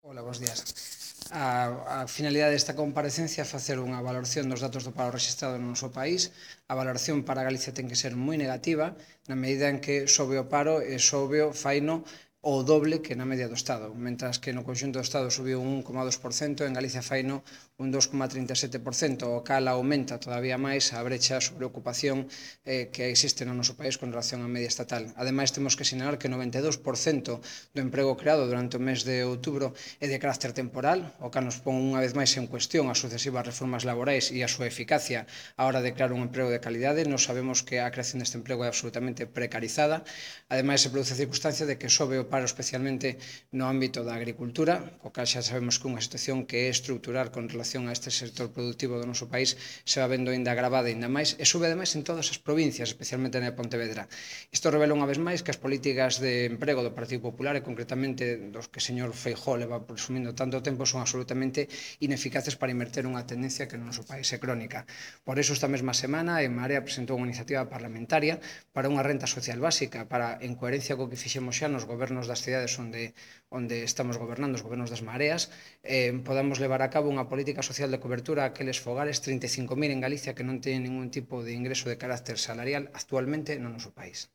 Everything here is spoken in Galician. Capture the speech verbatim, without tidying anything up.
Ola, bons días. A, a finalidade desta comparecencia é facer unha valoración dos datos do paro registrado no noso país. A valoración para Galicia ten que ser moi negativa, na medida en que sobe o paro e sobe o faino o doble que na media do Estado. Mentras que no conxunto do Estado subiu un un coma dos por cento, en Galicia faino un dos coma trinta e sete por cento, o cal aumenta todavía máis a brecha sobre ocupación eh, que existe no noso país con relación á media estatal. Ademais, temos que sinalar que noventa e dous por cento do emprego creado durante o mes de outubro é de carácter temporal, o cal nos pon unha vez máis en cuestión as sucesivas reformas laborais e a súa eficacia á hora de crear un emprego de calidade. Nos sabemos que a creación deste emprego é absolutamente precarizada. Ademais, se produce a circunstancia de que sobe o paro especialmente no ámbito da agricultura, o cal xa sabemos que unha situación que é estrutural con relación a este sector productivo do noso país se va vendo ainda agravada ainda máis e sube ademais en todas as provincias, especialmente na Pontevedra. Isto revela unha vez máis que as políticas de emprego do Partido Popular e concretamente dos que o señor Feijóo leva presumindo tanto tempo son absolutamente ineficaces para inverter unha tendencia que no noso país é crónica. Por iso esta mesma semana En Marea presentou unha iniciativa parlamentaria para unha renta social básica para, en coherencia co que fixemos xa nos gobernos das cidades onde, onde estamos gobernando, os gobernos das mareas, eh, podamos levar a cabo unha política social de cobertura a aqueles fogares, trinta e cinco mil en Galicia, que non teñen ningún tipo de ingreso de carácter salarial actualmente no noso país.